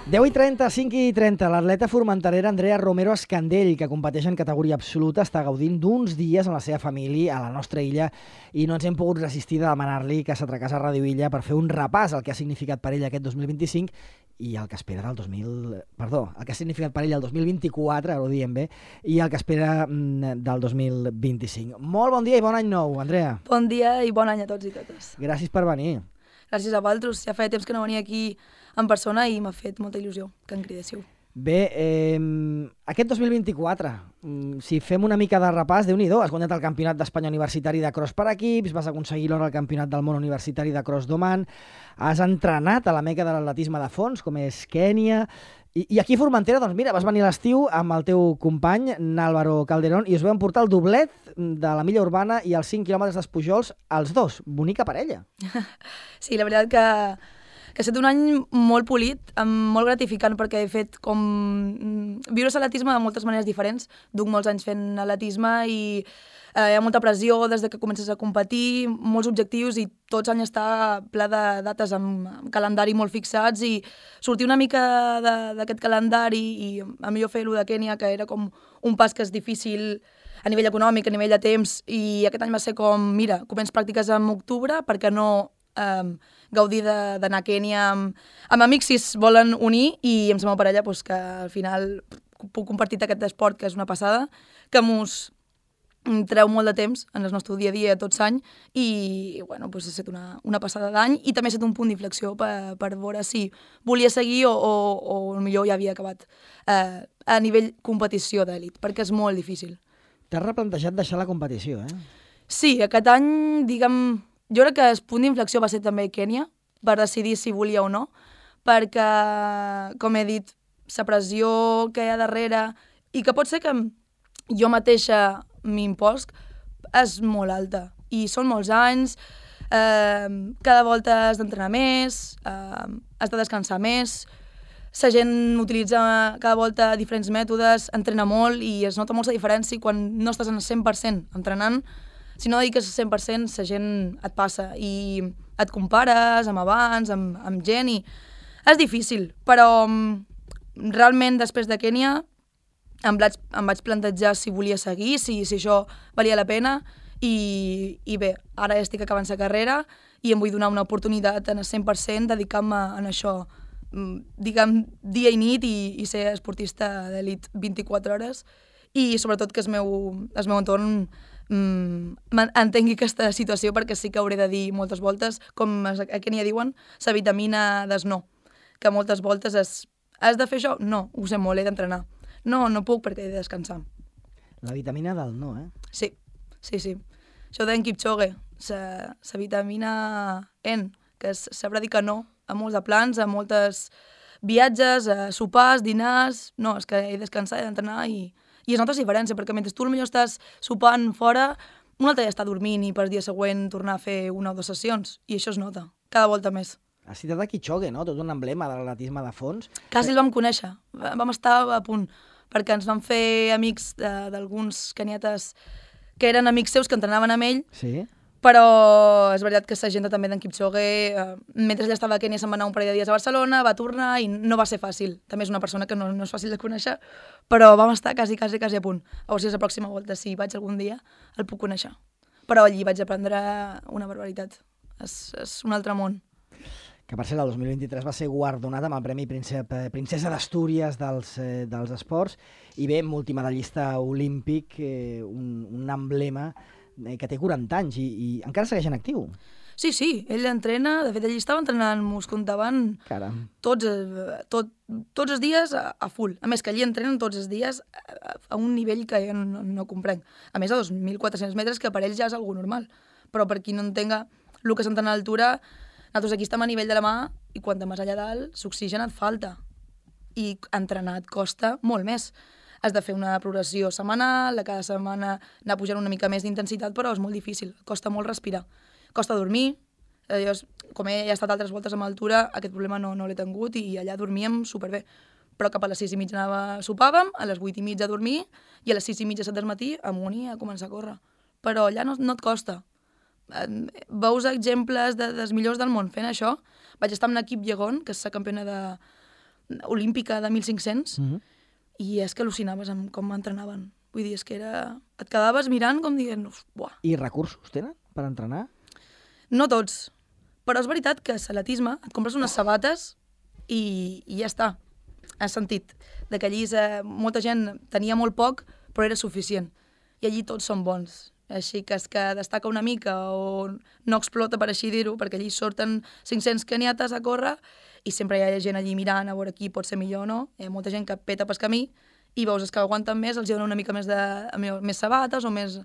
10:30, 5:30, l'atleta formenterera Andrea Romero Escandell, que competeix en categoria absoluta, està gaudint d'uns dies amb la seva família a la nostra illa i no ens hem pogut resistir de demanar-li que s'atracàs a Ràdio Illa per fer un repàs al que ha significat per ell aquest 2025 i el que espera el que ha significat per ell el 2024, ara ho diem bé, i el que espera del 2025. Molt bon dia i bon any nou, Andrea. Bon dia i bon any a tots i totes. Gràcies per venir. Gràcies a vosaltres. Ja feia temps que no venia aquí en persona i m'ha fet molta il·lusió que em cridéssiu. Bé, aquest 2024, si fem una mica de repàs, Déu-n'hi-do, has guanyat el Campionat d'Espanya Universitari de Cross per equips, vas aconseguir l'or al Campionat del Món Universitari de Cross d'Oman, has entrenat a la meca de l'atletisme de fons, com és Kènia, i aquí a Formentera, doncs mira, vas venir a l'estiu amb el teu company, N'Álvaro Calderón, i us vau emportar el doblet de la milla urbana i els 5 quilòmetres d'Espujols, els dos. Bonica parella. Sí, la veritat que ha estat un any molt polit, molt gratificant, perquè he fet com viure l'atletisme de moltes maneres diferents. Duc molts anys fent atletisme i hi ha molta pressió des que comences a competir, molts objectius i tots l'any està ple de dates amb calendari molt fixats i sortir una mica d'aquest calendari i a millor fer-ho de Kènia, que era com un pas que és difícil a nivell econòmic, a nivell de temps, i aquest any va ser com, mira, començo pràctiques en octubre, perquè no gaudir d'anar a Kènia amb amics si es volen unir i amb la meva parella que al final puc compartir aquest esport que és una passada, que mos treu molt de temps en el nostre dia a dia tots l'any i bueno, ha estat una passada d'any i també ha estat un punt d'inflexió per veure si volia seguir o millor ja havia acabat a nivell competició d'elit, perquè és molt difícil. T'has replantejat deixar la competició, eh? Sí, aquest any, diguem, jo crec que el punt d'inflexió va ser també Kènia, per decidir si volia o no, perquè, com he dit, la pressió que hi ha darrere i que pot ser que jo mateixa m'impost és molt alta. I són molts anys, cada volta has d'entrenar més, has de descansar més, la gent utilitza cada volta diferents mètodes, entrena molt i es nota molta diferència quan no estàs en el 100% entrenant. Si no dediques el 100%, la gent et passa i et compares amb abans, amb gent, i és difícil. Però realment, després de Kènia, em vaig plantejar si volia seguir, si això valia la pena, i bé, ara ja estic acabant la carrera i em vull donar una oportunitat en el 100%, dedicar-me a això, diguem, dia i nit i ser esportista d'elit 24 hores i sobretot que el meu entorn entengui aquesta situació, perquè sí que hauré de dir moltes voltes, com a Kènia diuen, la vitamina des no, que moltes voltes has de fer això? No, ho sé molt, he d'entrenar. No puc perquè he de descansar. La vitamina del no, eh? Sí. Això d'en Kipchoge, la vitamina N, que és saber dir que no a molts de plans, a moltes viatges, a sopars, dinars. No, és que he de descansar, he d'entrenar i es nota la diferència, perquè mentre tu potser estàs sopant fora, un altre ja està dormint i per dia següent tornar a fer 1 o 2 sessions, i això es nota, cada volta més. Has citat a Kipchoge, no? Tot un emblema de l'atletisme de fons. Quasi el vam conèixer, vam estar a punt, perquè ens vam fer amics d'alguns kenietes que eren amics seus que entrenaven amb ell, sí. Però és veritat que la gent també d'en Kipchoge, mentre ell estava a Kènia se'n va anar un parell de dies a Barcelona, va tornar i no va ser fàcil. També és una persona que no és fàcil de conèixer, però vam estar quasi a punt. A veure si la pròxima volta, si vaig algun dia, el puc conèixer. Però allí vaig aprendre una barbaritat. És un altre món. Que per cert, el 2023 va ser guardonat amb el Premi Princesa d'Astúries dels esports i bé, multimedallista olímpic, un emblema que té 40 anys i encara segueix en actiu. Sí, ell entrena, de fet ell estava entrenant, m'ho contaven tots els dies a full. A més que allí entrenen tots els dies a un nivell que jo no comprenc. A més a 2.400 metres, que per ells ja és algo normal. Però per qui no entenga el que s'entrena a l'altura, nosaltres aquí estem a nivell de la mà i quan més allà dalt l'oxigen et falta. I entrenar et costa molt més. Has de fer una progressió setmanal, cada setmana anar pujant una mica més d'intensitat, però és molt difícil, costa molt respirar. Costa dormir, com he estat altres voltes amb altura, aquest problema no l'he tingut i allà dormíem superbé. Però cap a les 6:30 sopàvem, a les 8:30 a dormir i a les 6:30, 7 del matí amunt i a començar a córrer. Però allà no et costa. Veus exemples dels millors del món fent això. Vaig estar amb l'equip Llegon, que és la campiona olímpica de 1.500, i és que al·lucinaves amb com entrenaven. Vull dir, és que et quedaves mirant com dient, buah. I recursos tenen per entrenar? No tots, però és veritat que a l'atletisme et compres unes sabates i ja està. Has sentit de que allí molta gent tenia molt poc, però era suficient. I allí tots són bons. Així que és que destaca una mica o no explota, per així dir-ho, perquè allí surten 500 keniates a córrer i sempre hi ha gent allí mirant a veure qui pot ser millor o no. Hi ha molta gent que peta pel camí i veus els que aguanten més, els hi donen una mica més sabates o més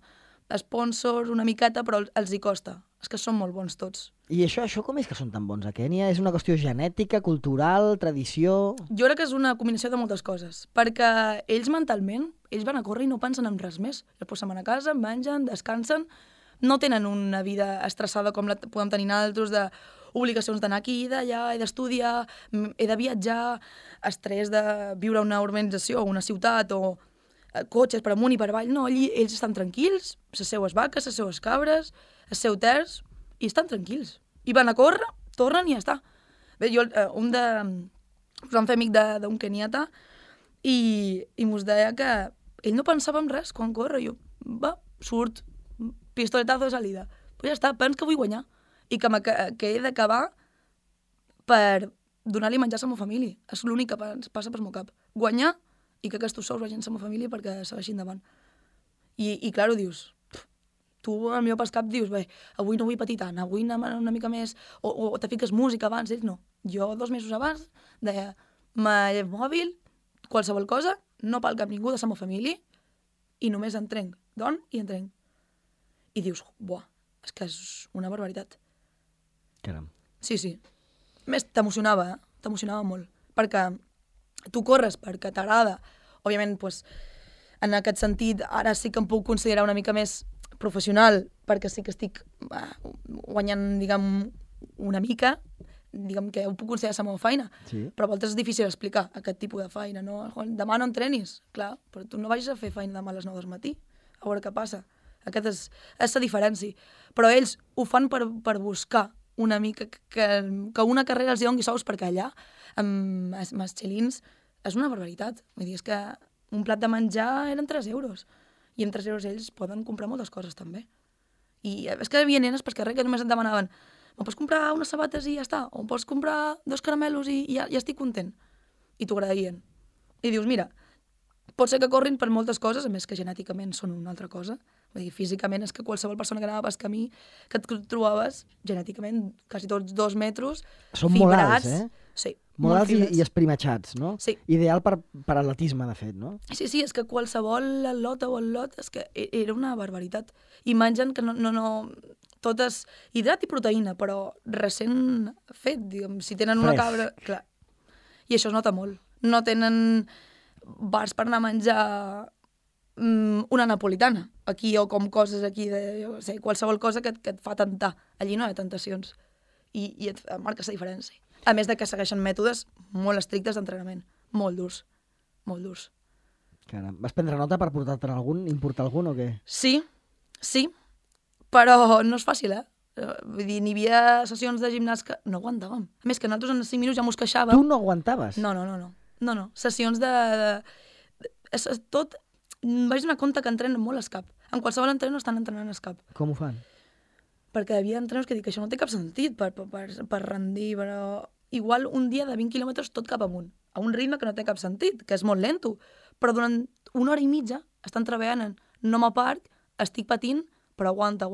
sponsors, una miqueta, però els hi costa. És que són molt bons tots. I això com és que són tan bons a Kènia? És una qüestió genètica, cultural, tradició? Jo crec que és una combinació de moltes coses, perquè ells mentalment, ells van a córrer i no pensen en res més. Després se'n van a casa, mengen, descansen, no tenen una vida estressada com la podem tenir altres, d'obligacions d'anar aquí i d'allà, he d'estudiar, he de viatjar, estrès de viure a una urbanització, una ciutat, o cotxes per amunt i per avall. No, allí ells estan tranquils, les seues vaques, les seues cabres, el seu terç, i estan tranquils. I van a córrer, tornen i ja està. Bé, jo, us vam fer amic d'un keniata i mos deia que ell no pensava en res quan corre. Jo, surt, pistoletazo de salida. Pues ja està, pens que vull guanyar. I que he d'acabar per donar-li menjar a la meva família. És l'únic que passa pel meu cap. Guanyar i que aquests sous vagin a la meva família perquè segueixin endavant. I clar, ho dius, tu al millor pel cap dius, bé, avui no vull patir tant, avui anar una mica més, o te fiques música abans, ells no. Jo 2 mesos abans deia, mòbil, qualsevol cosa, no pel cap ningú de la meva família i només entrenc, dorm i entrenc. I dius, buah, és que és una barbaritat. Caram. Sí. Més t'emocionava, t'emocionava molt, perquè tu corres perquè t'agrada. Òbviament, doncs, en aquest sentit, ara sí que em puc considerar una mica més professional, perquè sí que estic guanyant, diguem, una mica, diguem que ho puc considerar la meva feina, sí. Però a voltes és difícil explicar aquest tipus de feina, no? Demà no entrenis, clar, però tu no vagis a fer feina demà a les 9 del matí, a veure què passa. Aquesta és la diferència. Però ells ho fan per buscar una mica que una carrera els doni sous, perquè allà, amb els xilins, és una barbaritat. Vull dir, és que un plat de menjar eren 3 euros. I amb 3 euros ells poden comprar moltes coses, també. I és que hi havia nenes per carrer que només et demanaven, em pots comprar unes sabates i ja està? O em pots comprar 2 caramelos i ja estic content? I t'ho agraïen. I dius, mira, pot ser que corrin per moltes coses, a més que genèticament són una altra cosa. Vull dir, físicament és que qualsevol persona que anava pel camí que et trobaves, genèticament, quasi tots 2 metres, són fibrats. Molt alts, eh? Sí. Molt alts i esprimatxats, no? Sí. Ideal per atletisme, de fet, no? Sí, és que qualsevol atleta o atlot és que era una barbaritat. I mengen que no totes hidrat i proteïna, però recent fet, diguem, si tenen una cabra... Clar. I això es nota molt. No tenen bars per anar a menjar una napolitana aquí, o com coses aquí de, jo sé, qualsevol cosa que et fa tentar. Allí no hi ha tentacions. I et marques la diferència. A més de que segueixen mètodes molt estrictes d'entrenament. Molt durs. Molt durs. Caram. Vas prendre nota per portar-te'n algun, importar algun o què? Sí. Però no és fàcil, Vull dir, n'hi havia sessions de gimnàs que no aguantàvem. A més que nosaltres en 5 minuts ja mos queixàvem. Tu no aguantaves? No. Sessions de... Tot... Vaig donar compte que entrenen molt escap. En qualsevol entreno estan entrenant escap. Com ho fan? Perquè hi havia entrenos que dic que això no té cap sentit per rendir, però igual un dia de 20 quilòmetres tot cap amunt, a un ritme que no té cap sentit, que és molt lento, però durant 1 hora i mitja estan treballant en no m'aparc, estic patint, però aguanta.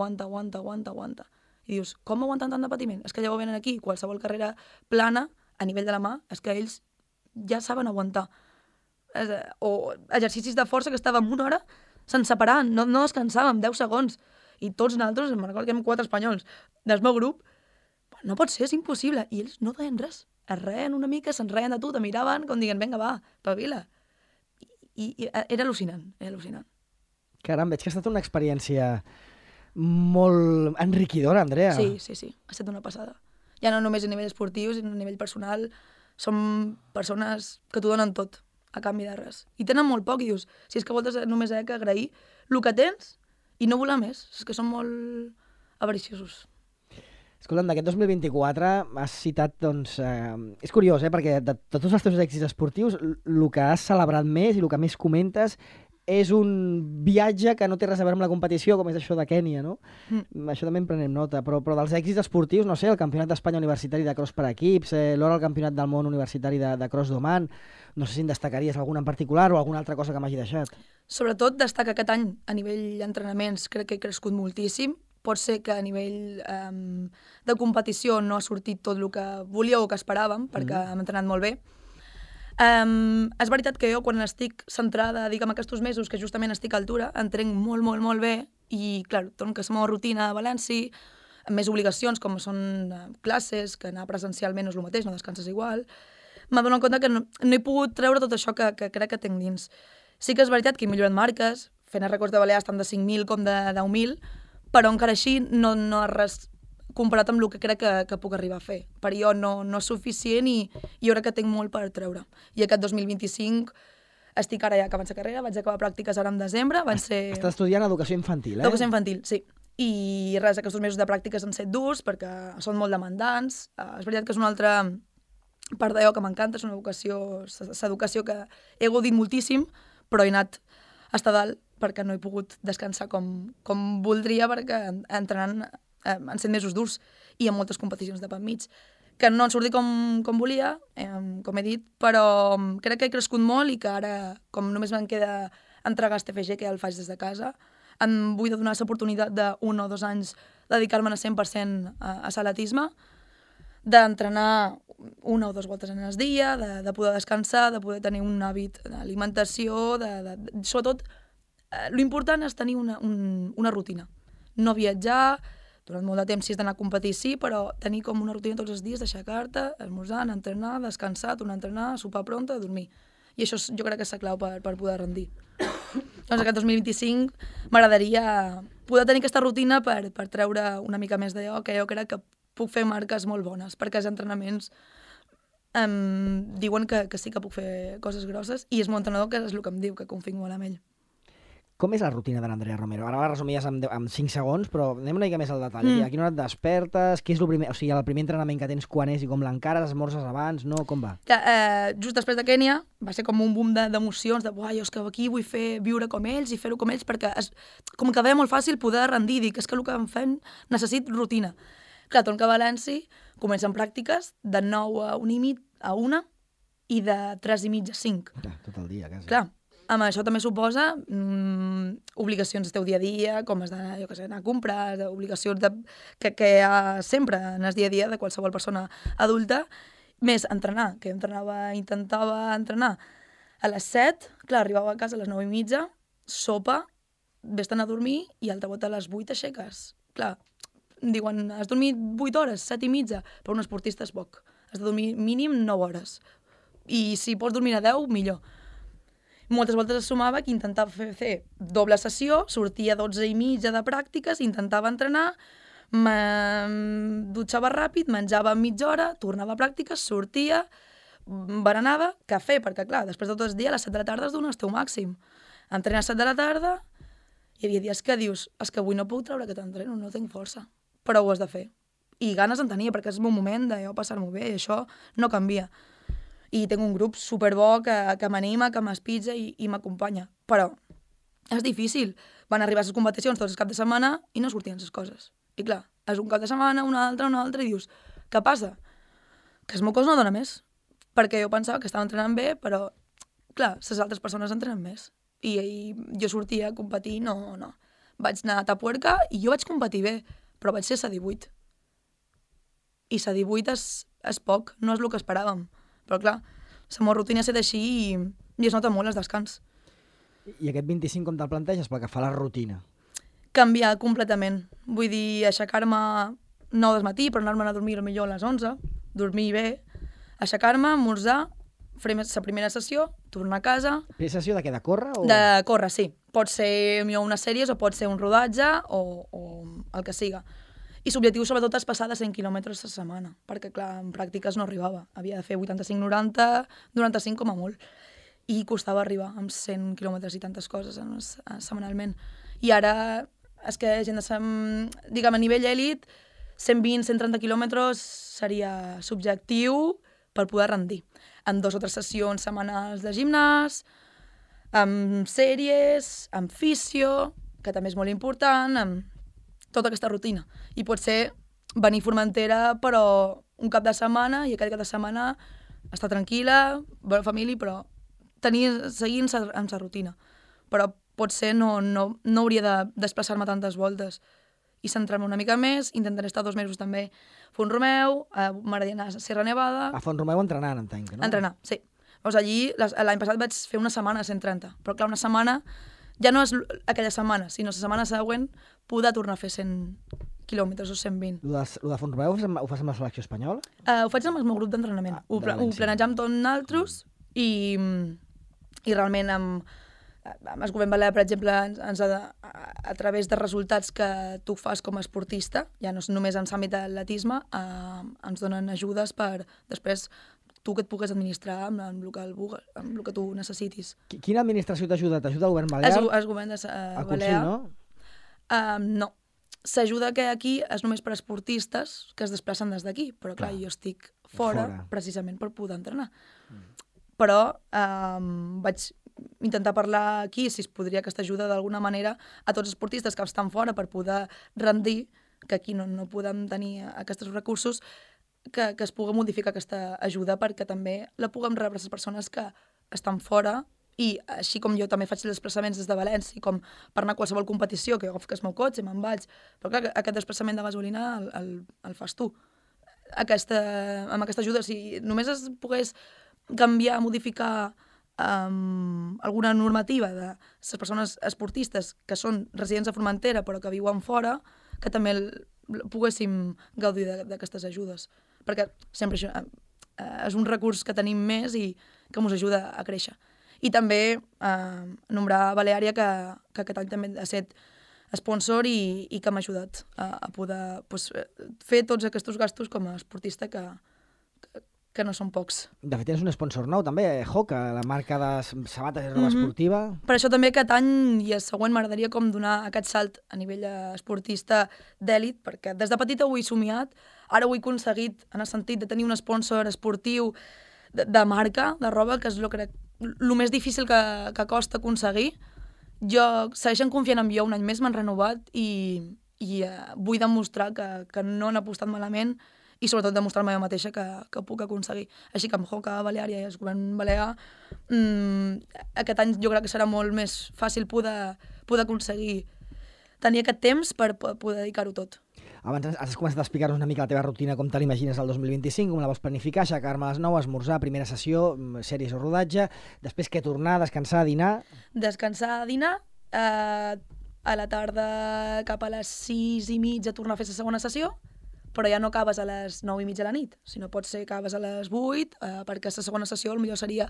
I dius, com aguanten tant de patiment? És que llavors venen aquí, qualsevol carrera plana, a nivell de la mà, és que ells ja saben aguantar. O exercicis de força que estàvem 1 hora sense parar, no descansàvem, 10 segons. I tots nosaltres, me'n recordo que érem 4 espanyols del meu grup, no pot ser, és impossible. I ells no deien res. Es reien una mica, se'n reien de tu, te miraven, com diguen, vinga, va, pavila. I era al·lucinant. Caram, veig que ha estat una experiència molt enriquidora, Andrea. Sí. Ha estat una passada. Ja no només a nivell esportiu, sinó a nivell personal. Som persones que t'ho donen tot, a canvi de res. I tenen molt poc, i dius, si és que voltes només que agrair el que tens i no voler més. És que són molt avariciosos. Escolta'm, d'aquest 2024 has citat, doncs... és curiós, perquè de tots els teus èxits esportius, el que has celebrat més i el que més comentes és un viatge que no té res a veure amb la competició, com és això de Kènia, no? Això també en prenem nota, però dels èxits esportius, no sé, el Campionat d'Espanya Universitari de Cross per equips, l'or al Campionat del Món Universitari de Cross d'Oman, no sé si en destacaries alguna en particular o alguna altra cosa que m'hagi deixat. Sobretot destaca aquest any a nivell d'entrenaments, crec que he crescut moltíssim. Pot ser que a nivell de competició no ha sortit tot el que volíeu o que esperàvem, perquè hem entrenat molt bé. És veritat que jo, quan estic centrada, diguem, aquests mesos, que justament estic a altura, entrenc molt, molt, molt bé i, clar, torno que és la meva rutina a València, amb més obligacions, com són classes, que anar presencialment no és el mateix, no descanses igual. M'adono compte que no he pogut treure tot això que crec que tinc dins. Sí que és veritat que he millorat marques, fent els records de Balears tant de 5.000 com de 10.000, però encara així no és res comparat amb el que crec que puc arribar a fer. Per jo no és suficient i jo crec que tinc molt per treure. I aquest 2025 estic ara ja acabant la carrera, vaig acabar pràctiques ara en desembre. Estàs estudiant educació infantil, Educació infantil, sí. I res, aquests mesos de pràctiques han estat durs perquè són molt demandants. És veritat que és una altra part d'allò que m'encanta, és una educació que he gaudit moltíssim, però he anat a estar dalt perquè no he pogut descansar com voldria, perquè entrenant han estat mesos durs i amb moltes competicions de per mig, que no han sortit com volia, com he dit, però crec que he crescut molt i que ara, com només me'n queda entregar este TFG, que ja el faig des de casa, em vull donar l'oportunitat d'1 o 2 anys dedicar-me a 100% a l'atletisme, d'entrenar 1 o 2 voltes en el dia, de poder descansar, de poder tenir un hàbit d'alimentació, sobretot, l'important és tenir una rutina. No viatjar, durant molt de temps si has d'anar a competir sí, però tenir com una rutina tots els dies, d'aixecar-te, esmorzar, entrenar, descansar, tornar a entrenar, sopar prompte, dormir. I això jo crec que és la clau per poder rendir. Doncs aquest 2025 m'agradaria poder tenir aquesta rutina per treure una mica més d'allò, que jo crec que puc fer marques molt bones, perquè els entrenaments diuen que sí que puc fer coses grosses i és mon entrenador que és el que em diu, que confio molt en ell. Com és la rutina de l'Andrea Romero? Ara la resumies en 5 segons, però anem una mica més al detall. A quina hora et despertes? Què és el primer entrenament que tens, quan és i com l'encares? Esmorzes abans? No? Com va? Just després de Kènia va ser com un boom d'emocions, jo és que aquí vull viure com ells i fer-ho com ells, perquè com que veia molt fàcil poder rendir, dic, és que el que em fem necessito rutina. Clar, torno a València, comencen pràctiques de 9 a 1 i de 3 i mitja a 5. Tot el dia, quasi. Clar, amb això també suposa obligacions del teu dia a dia, com has d'anar, anar a comprar, obligacions que hi ha sempre en el dia a dia de qualsevol persona adulta, més entrenar, que intentava entrenar a les 7, clar, arribava a casa a les 9 i mitja, sopa, vés-te'n a dormir i altre volta a les 8 aixeques. Clar, diuen, has dormit 8 hores, 7 i mitja, però un esportista és poc. Has de dormir mínim 9 hores. I si pots dormir a 10, millor. Moltes voltes es sumava que intentava fer doble sessió, sortia a 12 i mitja de pràctiques, intentava entrenar, dutxava ràpid, menjava mitja hora, tornava a pràctiques, sortia, berenava, cafè, perquè clar, després de tot el dia, a les 7 de la tarda es dona el teu màxim. Entrenar a les 7 de la tarda, hi havia dies que dius, és que avui no puc treure aquest entreno, no tinc força, però ho has de fer. I ganes en tenia, perquè és el meu moment de jo passar-m'ho bé, i això no canvia. I tinc un grup superbo que m'anima, que m'espitja i m'acompanya. Però és difícil. Van arribar a les competicions tots els caps de setmana i no sortien les coses. I clar, és un cap de setmana, un altre, i dius, què passa? Que el meu cos no dona més. Perquè jo pensava que estava entrenant bé, però, clar, les altres persones entrenen més. I jo sortia a competir, no. Vaig anar a Tapuerca i jo vaig competir bé, però vaig ser a 18. I a 18 és poc, no és el que esperàvem. Però clar, la meva rutina ha estat així i es nota molt el descans. I aquest 25 com te'l planteges pel que fa a la rutina? Canviar completament. Vull dir, aixecar-me 9 del matí per anar-me'n a dormir millor a les 11, dormir bé, aixecar-me, esmorzar, fer la primera sessió, tornar a casa... Primera sessió de què? De córrer? O... De córrer, sí. Pot ser unes sèries o pot ser un rodatge o el que siga. I l'objectiu sobretot és passar de 100 quilòmetres a setmana, perquè clar, en pràctiques no arribava. Havia de fer 85-90, 95 com a molt. I costava arribar amb 100 quilòmetres i tantes coses setmanalment. I ara és que gent de diguem, a nivell èlit 120-130 quilòmetres seria subjectiu per poder rendir. Amb 2 o 3 sessions setmanals de gimnàs, amb sèries, amb fisio, que també és molt important, amb tota aquesta rutina. I pot ser venir a Formentera, però un cap de setmana, i aquell cap de setmana estar tranquil·la, veure família, però seguir amb la rutina. Però potser no hauria de desplaçar-me tantes voltes i centrar-me una mica més. Intentaré estar 2 mesos també a Font-romeu, m'agradaria anar a Sierra Nevada. A Font-romeu entrenant, entenc, no? Entrenar, sí. Llavors allí, l'any passat vaig fer una setmana a 130, però clar, una setmana ja no és aquella setmana, sinó la setmana següent poder tornar a fer 100 quilòmetres o 120. Lo de Font-romeu ho fas amb la selecció espanyola? Ho faig amb el meu grup d'entrenament. Ho planejam tot nosaltres i realment amb el govern balear, per exemple, a través de resultats que tu fas com a esportista, ja no és només en l'àmbit de l'atletisme, ens donen ajudes per després tu que et pugues administrar amb el que tu necessitis. Quina administració t'ajuda? T'ajuda el govern balear? El govern balear. No? No. S'ajuda que aquí és només per esportistes que es desplacen des d'aquí, però clar, jo estic fora precisament per poder entrenar. Però vaig intentar parlar aquí si es podria aquesta ajuda d'alguna manera a tots els esportistes que estan fora per poder rendir, que aquí no podem tenir aquests recursos, que es pugui modificar aquesta ajuda perquè també la puguem rebre les persones que estan fora, i així com jo també faig els desplaçaments des de València, com per anar a qualsevol competició, que jo agafo el meu cotxe, me'n vaig, però clar, aquest desplaçament de gasolina el fas tu. Amb aquesta ajuda, si només es pogués canviar, modificar alguna normativa de les persones esportistes que són residents a Formentera però que viuen fora, que també poguéssim gaudir d'aquestes ajudes. Perquè sempre això és un recurs que tenim més i que ens ajuda a créixer. I també nombrar Baleària, que aquest any també ha estat sponsor i que m'ha ajudat a poder fer tots aquests gastos com a esportista que no són pocs. De fet, tens un sponsor nou també, Hoka, la marca de sabates i roba esportiva. Per això també aquest any i el següent m'agradaria com donar aquest salt a nivell esportista d'èlit, perquè des de petita ho he somiat, ara ho he aconseguit en el sentit de tenir un sponsor esportiu de marca, de roba, que és el més difícil que costa aconseguir. Jo segueixen confiant en mi, un any més m'han renovat i vull demostrar que no han apostat malament i sobretot demostrar-me jo mateixa que puc aconseguir. Així que amb Hoka, Baleària i el govern balear, aquest any jo crec que serà molt més fàcil poder aconseguir tenir aquest temps per poder dedicar-ho tot. Abans has començat a explicar-nos una mica la teva rutina, com te l'imagines el 2025, com la vols planificar, aixecar-me a les 9, esmorzar, primera sessió, sèries o rodatge, després què tornar, descansar, dinar... Descansar, dinar, a la tarda cap a les 6:30 tornar a fer la segona sessió, però ja no acabes a les 9:30 de la nit, sinó pot ser que acabes a les 8, perquè la segona sessió potser seria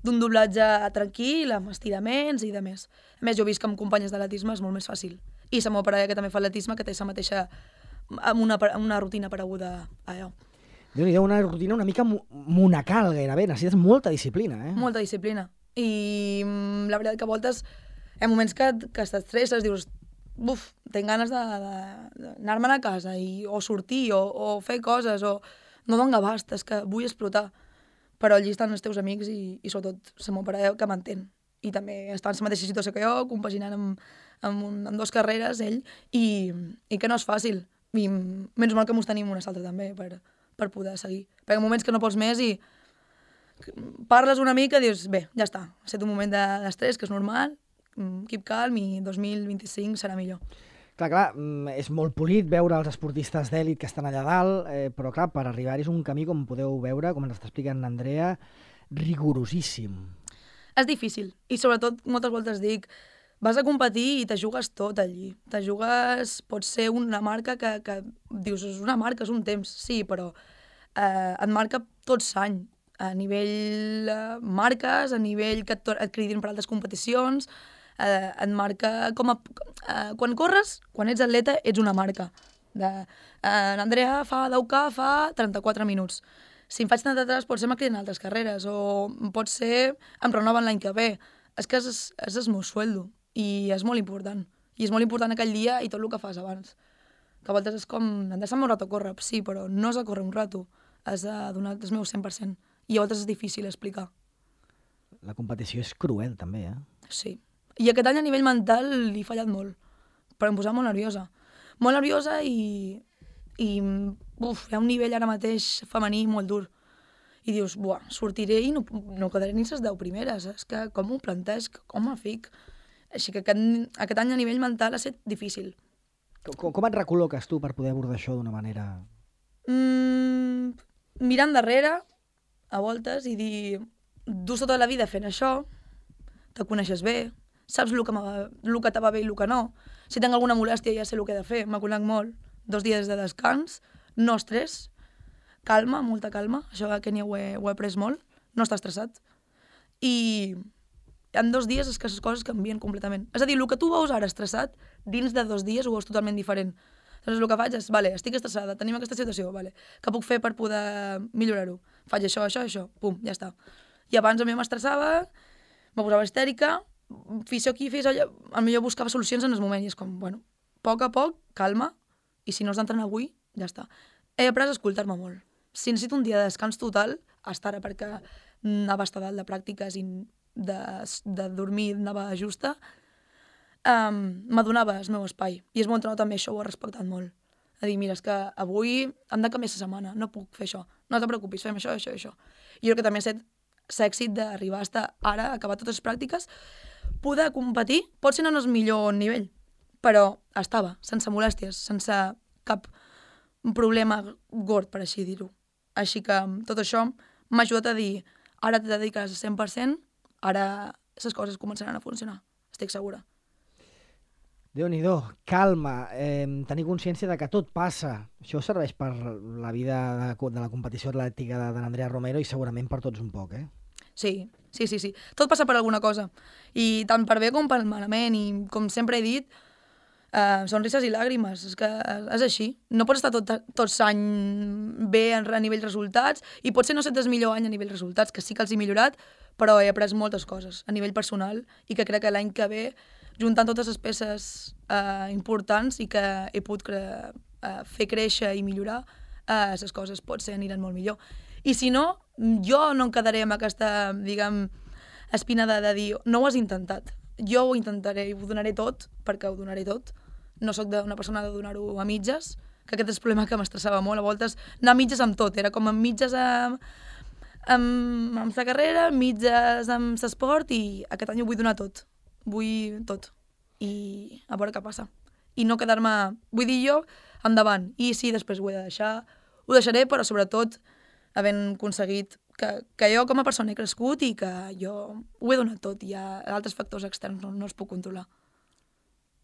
d'un doblatge tranquil, amb estiraments i de més. A més, jo he vist que amb companyes d'atletisme és molt més fàcil. I la meva parella, que també fa atletisme, que té la mateixa amb una rutina pareguda a allò. Déu-n'hi-do, una rutina una mica monacal gairebé, necessites molta disciplina, eh? Molta disciplina. I la veritat que a voltes hi ha moments que t'estresses, dius, tinc ganes d'anar-me'n a casa o sortir o fer coses, o no dono abast, és que vull explotar. Però allí estan els teus amics i sobretot la meva parella que m'entén. I també està en la mateixa situació que jo, compaginant amb 2 carreres, ell, i que no és fàcil. I menys mal que mos tenim una altra també per poder seguir. Perquè en moments que no pots més i parles una mica i dius, bé, ja està, ha estat un moment d'estrès, que és normal, keep calm i 2025 serà millor. Clar, és molt polit veure els esportistes d'èlit que estan allà dalt, però clar, per arribar-hi és un camí, com podeu veure, com ens està explicant Andrea, rigorosíssim. És difícil, i sobretot moltes voltes dic, vas a competir i te jugues tot allí. Te jugues, pot ser una marca que dius, és una marca, és un temps, sí, però et marca tot l'any, a nivell marques, a nivell que et cridin per altres competicions, et marca com a... Quan corres, quan ets atleta, ets una marca. L'Andrea fa 10K, fa 34 minuts. Si em faig 33, potser me criden altres carreres, o potser em renoven l'any que ve. És que és el meu sueldo. I és molt important. I és molt important aquell dia i tot el que fas abans. que a voltes és com, em deixa'm un rato córrer, sí, però no és a córrer un rato, has de donar el meu 100%, i a voltes és difícil explicar. La competició és cruel, també, Sí. I aquest any a nivell mental li he fallat molt, però em posava molt nerviosa. Molt nerviosa i hi ha un nivell ara mateix femení molt dur. I dius, buah, sortiré i no quedaré ni les 10 primeres. És que com ho plantesc, com ho fic? Així que aquest any a nivell mental ha estat difícil. Com et recol·loques tu per poder abordar això d'una manera... Mirant darrere, a voltes, i dir, dus tota la vida fent això, te coneixes bé, saps el que te va bé i el que no. Si tinc alguna molèstia ja sé el que he de fer, me conec molt. 2 dies de descans, no estrès, calma, molta calma, això a Kènia ho he après molt, no estar estressat. I en 2 dies és que les coses canvien completament. És a dir, el que tu veus ara estressat, dins de 2 dies ho veus totalment diferent. Llavors el que faig és, vale, estic estressada, tenim aquesta situació, vale, què puc fer per poder millorar-ho? Faig això, pum, ja està. I abans a mi m'estressava, me posava histèrica, fes aquí, fes allò, potser buscava solucions en el moment i és com, bueno, a poc, calma, i si no has d'entrenar avui, ja està. He après a escoltar-me molt. Si necessito un dia de descans total, estar perquè anava a estar dalt de pràctiques i de dormir anava justa, m'adonava el meu espai. I el meu entrenador també això ho ha respectat molt. A dir, mira, és que avui hem de canviar la setmana, no puc fer això. No te preocupis, fem això. I jo crec que també ha estat l'èxit d'arribar a estar ara, acabar totes les pràctiques, poder competir, pot ser no en el millor nivell, però estava, sense molèsties, sense cap problema gord, per així dir-ho. Així que tot això m'ha ajudat a dir, ara t'he dedicat al 100%, ara les coses començaran a funcionar, estic segura. Déu-n'hi-do, calma, tenir consciència de que tot passa. Això serveix per la vida de la competició atlètica de l'Andrea Romero i segurament per tots un poc, Sí. Tot passa per alguna cosa. I tant per bé com per malament. I com sempre he dit, sonrises i làgrimes. És que és així. No pots estar tot l'any bé a nivell resultats i potser no set el millor any a nivell resultats, que sí que els he millorat, però he après moltes coses a nivell personal i que crec que l'any que ve, juntant totes les peces importants i que he pogut fer créixer i millorar, les coses potser aniran molt millor. I si no, jo no em quedaré amb aquesta, diguem, espina de dir no ho has intentat. Jo ho intentaré i ho donaré tot, perquè ho donaré tot. No sóc una persona de donar-ho a mitges, que aquest és el problema que m'estressava molt. A voltes anar a mitges amb tot, era com amb mitges amb la carrera, mitges amb l'esport, i aquest any ho vull donar tot. Vull tot. I a veure què passa. I no quedar-me... Vull dir jo, endavant. I sí, després ho he de deixar. Ho deixaré, però sobretot havent aconseguit que jo com a persona he crescut i que jo ho he donat tot. Hi ha altres factors externs, no els puc controlar.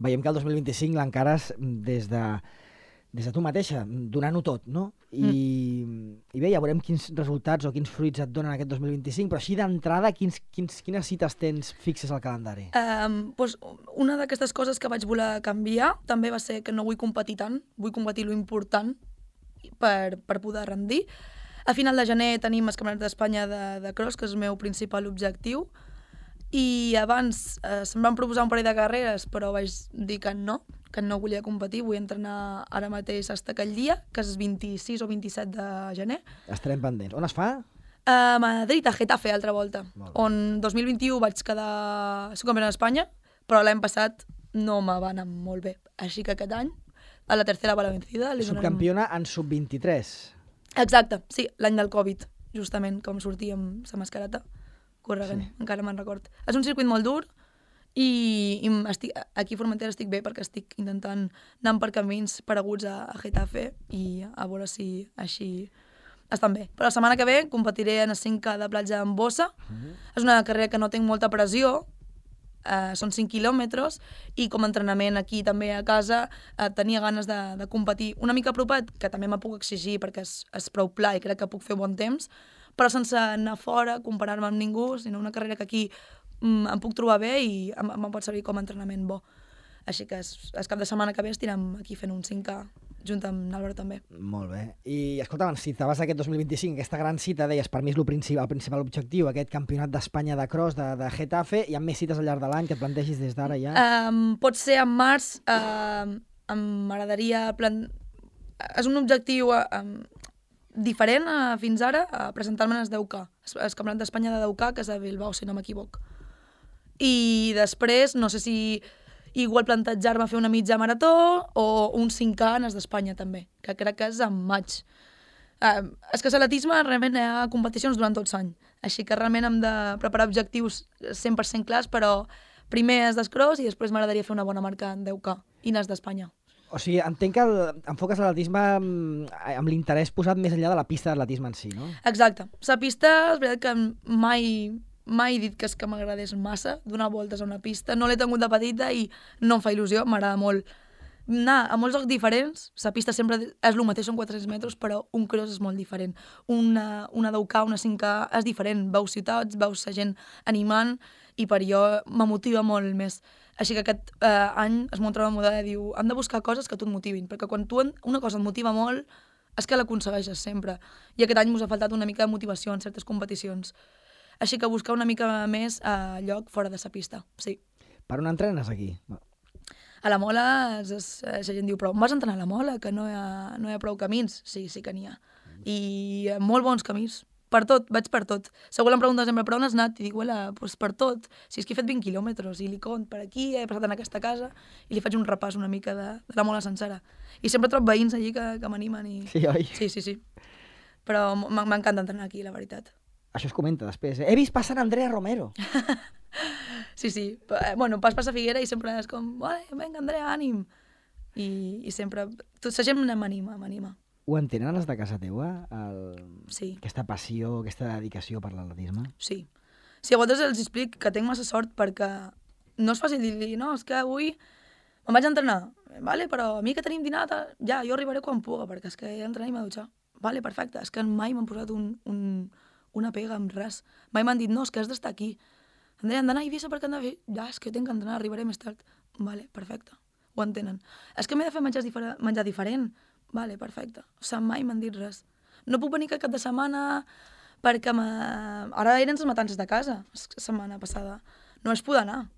Veiem que el 2025 l'encares des de tu mateixa, donant-ho tot, no? I bé, ja veurem quins resultats o quins fruits et donen aquest 2025, però així d'entrada, quines cites tens fixes al calendari? Una d'aquestes coses que vaig voler canviar també va ser que no vull competir tant, vull competir lo important per poder rendir. A final de gener tenim els Campionats d'Espanya de cross, que és el meu principal objectiu, i abans se'm van proposar un parell de carreres, però vaig dir que no volia competir, vull entrenar ara mateix fins aquell dia, que és 26 o 27 de gener. Estarem pendents. On es fa? A Madrid, a Getafe, altra volta, on 2021 vaig quedar subcampiona d'Espanya, però l'any passat no me va anar molt bé. Així que aquest any, a la tercera va la vencida. Subcampiona en sub-23. Exacte, sí, l'any del Covid, justament, com sortia amb la mascareta, corregant, sí. Encara me'n record. És un circuit molt dur i aquí a Formentera estic bé perquè estic intentant anar per camins pareguts a Getafe i a veure si així estan bé. Però la setmana que ve competiré en el 5K de platja amb Bossa. És una carrera que no tinc molta pressió, són 5 quilòmetres i com a entrenament aquí també a casa tenia ganes de competir una mica apropat, que també me puc exigir perquè és prou pla i crec que puc fer bon temps, però sense anar fora, comparar-me amb ningú, sinó una carrera que aquí em puc trobar bé i em pot servir com a entrenament bo. Així que el cap de setmana que ve estirem aquí fent un 5K junt amb l'Àlvaro també. Molt bé. I escolta, si te vas aquest 2025, aquesta gran cita, deies, per mi és el principal objectiu, aquest campionat d'Espanya de cross de Getafe, hi ha més cites al llarg de l'any que et plantegis des d'ara ja? Pot ser en març, m'agradaria... És un objectiu diferent fins ara, presentar-me en el 10K, el Campionat d'Espanya de 10K, que és a Bilbao, si no m'equivoc. I després, no sé si igual plantejar-me fer una mitja marató o un 5K en el d'Espanya també, que crec que és en maig. És que l'atletisme realment hi ha competicions durant tot l'any, així que realment hem de preparar objectius 100% clars, però primer és d'escross i després m'agradaria fer una bona marca en 10K i n'és d'Espanya. O sigui, entenc que enfoques l'atletisme amb l'interès posat més enllà de la pista d'atletisme en si, no? Exacte. La pista, és veritat que mai he dit que és que m'agradés massa donar voltes a una pista. No l'he tingut de petita i no em fa il·lusió, m'agrada molt anar a molts llocs diferents. La pista sempre és el mateix, són 400 metres, però un cross és molt diferent. Una 10K, una 5K és diferent. Veus ciutats, veus la gent animant i per jo m'emotiva molt més. Així que aquest any es munta una moda i diu hem de buscar coses que tu et motivin, perquè quan tu una cosa et motiva molt és que l'aconsegueixes sempre. I aquest any m'us ha faltat una mica de motivació en certes competicions. Així que buscar una mica més a lloc fora de la pista, sí. Per on entrenes aquí? A la Mola, la gent diu, però on vas entrenar a la Mola, que no hi ha prou camins? Sí que n'hi ha. I molt bons camins. Per tot, vaig per tot. Segur em pregunta sempre, per on has anat? I dic, doncs per tot. Si és que he fet 20 quilòmetres i li cont per aquí, he passat en aquesta casa i li faig un repàs una mica de la Mola sencera. I sempre trobo veïns allí que m'animen. Sí, oi? Sí. Però m'encanta entrenar aquí, la veritat. Això es comenta després. He vist passar Andrea Romero. Sí. Bueno, pas per la Figuera i sempre és com, vinga, Andrea, ànim. I sempre... Tota la gent m'anima. Ho entenen els de casa teua? Sí. Aquesta passió, aquesta dedicació per l'atletisme? Sí. A vegades els explico que tinc massa sort perquè no és fàcil dir-li, no, és que avui me'n vaig a entrenar, vale, però a mi que tenim dinat, ja, jo arribaré quan puga, perquè és que he d'entrenar i m'he de dutxar. Vale, perfecte, és que mai m'han posat una pega amb res. Mai m'han dit, no, és que has d'estar aquí. Andrea, hem d'anar a Eivissa perquè hem de fer... Ja, és que tinc que entrenar, arribaré més tard. Vale, perfecte, ho entenen. És que m'he de fer menjar diferent. Vale, perfecte. O sigui, mai m'han dit res. No puc venir cap de setmana perquè ara eren les matances de casa, la setmana passada. No es podia anar.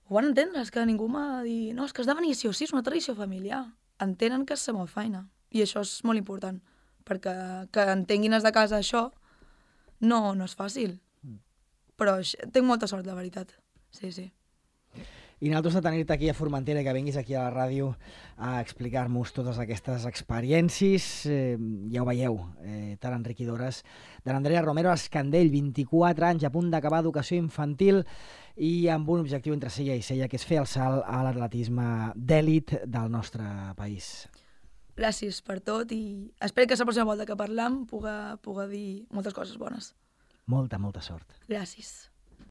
Ho van entendre, és que ningú m'ha dit no, és que has de venir sí o sí, és una tradició familiar. Entenen que és la meva feina. I això és molt important, perquè que entenguin els de casa això no és fàcil. Però tinc molta sort, la veritat. Sí. I nosaltres de tenir-te aquí a Formentera i que vinguis aquí a la ràdio a explicar-nos totes aquestes experiències, ja ho veieu, tan enriquidores, de l'Andrea Romero Escandell, 24 anys, a punt d'acabar educació infantil i amb un objectiu entre cella i cella, que és fer el salt a l'atletisme d'èlit del nostre país. Gràcies per tot i espero que la pròxima volta que parlam puga dir moltes coses bones. Molta sort. Gràcies.